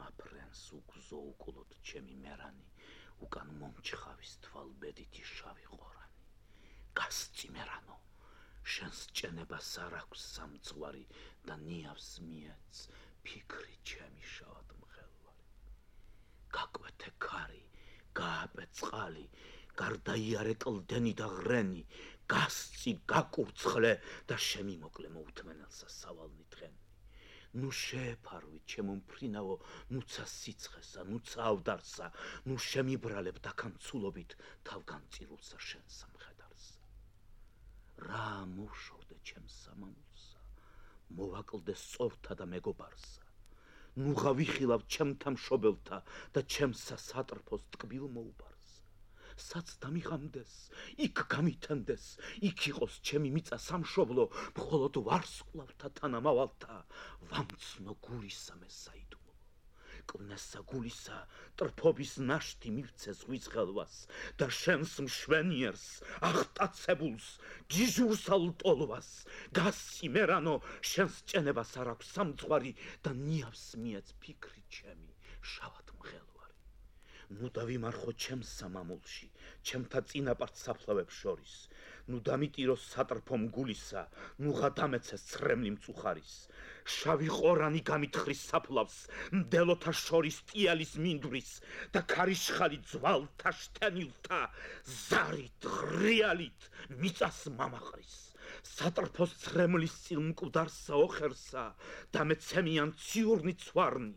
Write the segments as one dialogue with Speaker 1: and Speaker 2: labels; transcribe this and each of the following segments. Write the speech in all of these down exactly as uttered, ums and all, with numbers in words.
Speaker 1: მიმაფრენს უგზო უკულოდ ჩემი მერანი, უკან მომჩხავის თვალბედითი შავი ყორანი. გასწი მერანო, შენს ჭენებას არ აქვს სამძღვარი და ნიავს მიეც ფიქრი ჩემი შავად მღელვარი. გაკვეთე ქარი, გააპე წყალი, გარდაიარე კლდენი და ღრენი, გასწი, გაკურცხლე და შემიმოკლე მოუთმენელსა სავალნი დღენი. ნუ შეეფარვი ჩემო მფრინავო, ნუცა სიცხესა, ნუცა ავდარსა, ნუ შემიბრალებ დაქანცულობით თავგანწირულსა შენსა მხედარსა. რა მოვშორდე ჩემს სამამულსა, მოვაკლდე სწორთა და მეგობარსა. ნუ ღავიხილავ ჩემთა მშობელთა და ჩემსა სატრფოს ტკბილ მოუბარსა. საც დამიღამდეს, იქ გამითენდეს, იქ იყოს ჩემი მიწა სამშობლო, მხოლოდ ვარსკვლავთა თანამავალთა ვამცნო გულისა მე საიდუმლო. კვნესა გულისა ტრფობის ნაშთი მივცე ზღვის ღელვას და შენს მშვენიერს აღტაცებულს ჯიჟურსა ლტოლვას. გასცი მერანო, შენს ჭენებას არ აქვს სამძღვარი და ნიავს მიეც ფიქრი ჩემი შავად მღელვარი. ნუ დავიმარხო ჩემს სამამულში, ჩემთა წინაპართ საფლავებს შორის. ნუ დამიტიროს სატრფო მგულისა, ნუ ღადამეცეს ცრემლი მწუხარის. შავი ყორანი გამითხრის საფლავს, მდელოთა შორის ტიალის მინდვრის და ქარიშხალი ძვალთა შთენილთა ზარით, ღრიალით მიწას მამაყრის. სატრფოს ცრემლის წილ მკვდარსა ოხერსა და მეცემიან ციურნი ცვარნი.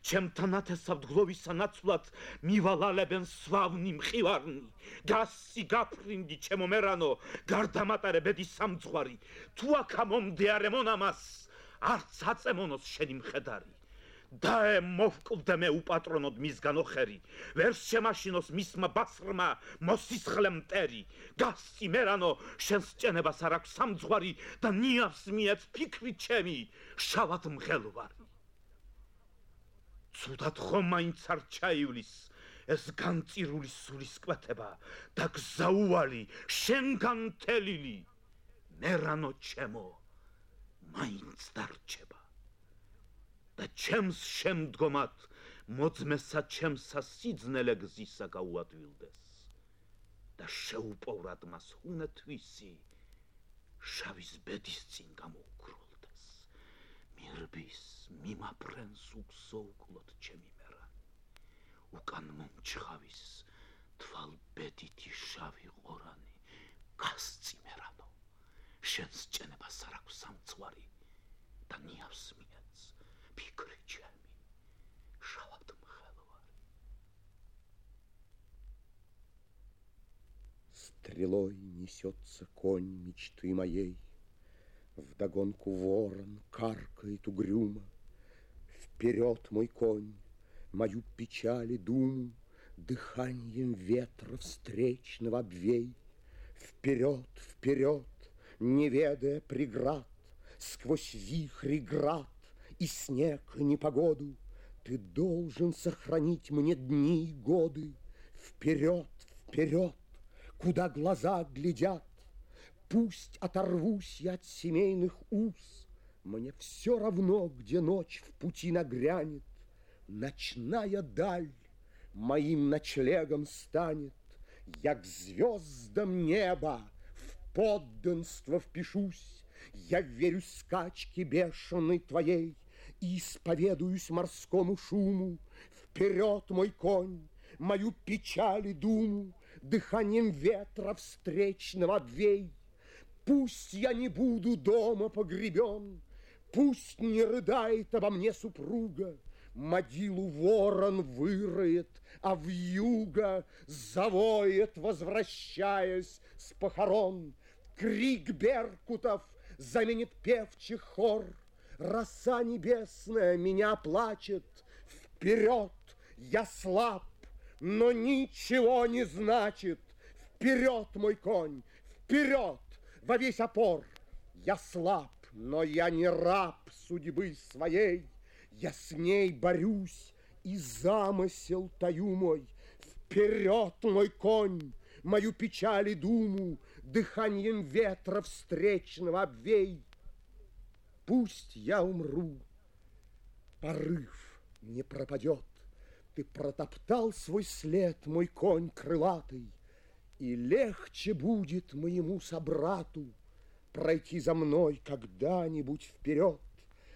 Speaker 1: ჩემთა ნათესავ დგლოვისა ნაცვლად მივალალებენ სვავნი მყივარნი. გასცი გაფრინდი ჩემო მერანო, გარდამატარე ბედის სამძღვარი. თუ აქ ამომდეარე მონამას, არც აწემონოს შენი მხედარი. დაე მოვკლდე მე უპატრონოდ მისგან ოხერი, ვერ შემაშინოს მისმა ბასრმა მოსისხლე მტერი. გასცი მერანო, შენს ჭენებას არ აქვს სამძღვარი და ნიავს მიეც ფიქრი ჩემი შავად მღელვარი. ცუდად ხომ მაინც არ ჩაივლის ეს განწირული სულის კვეთება და გზაუვალი შენგან თელილი. მერანო ჩემო, მაინც დარჩება და ჩემს შემდგომად მოძმესა ჩემსა სიძნელე გზისა გაუადვილდეს და შეუპოვრად მას ჰუნეთვისი შავის ბედის წინ გამოუქრულდეს. მირბის მიმაფრენს უგზო უკულოდ ჩემი მერანი, უკან მომჩხავის თვალბედითი შავი ყორანი. გასწი მერანო, შენს ჭენებას არ აქვს სამძღვარი და ნიავს მიეც ფიქრი ჩემი შავად мхеловари.
Speaker 2: Стрелой несется конь мечты моей, вдогонку ворон каркает угрюмо. Вперед, мой конь, мою печаль и думу дыханием ветра встречного обвей. Вперед, вперед, не ведая преград, сквозь вихри град и снег и непогоду, ты должен сохранить мне дни и годы. Вперед, вперед, куда глаза глядят, пусть оторвусь я от семейных уз. Мне все равно, где ночь в пути нагрянет, ночная даль моим ночлегом станет. Я к звездам неба в подданство впишусь, я верю скачке бешеной твоей и исповедуюсь морскому шуму. Вперед, мой конь, мою печаль и думу дыханием ветра встречного обвей. Пусть я не буду дома погребен, пусть не рыдает обо мне супруга, могилу ворон выроет, а вьюга завоет, возвращаясь с похорон. Крик беркутов заменит певчих хор, роса небесная меня плачет. Вперед, я слаб, но ничего не значит. Вперед, мой конь, вперед, во весь опор. Я слаб, но я не раб судьбы своей. Я с ней борюсь и замысел таю мой. Вперед, мой конь, мою печаль и думу дыханием ветра встречного обвей. Пусть я умру, порыв не пропадет. Ты протоптал свой след, мой конь крылатый, и легче будет моему собрату пройти за мной когда-нибудь вперед.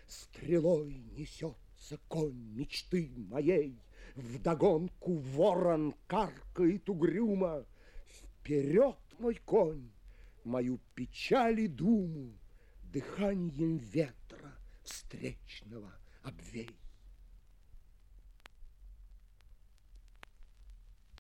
Speaker 2: Стрелой несется конь мечты моей, вдогонку ворон каркает угрюмо. Вперед, мой конь, мою печаль и думу дыханием ветра встречного обвей.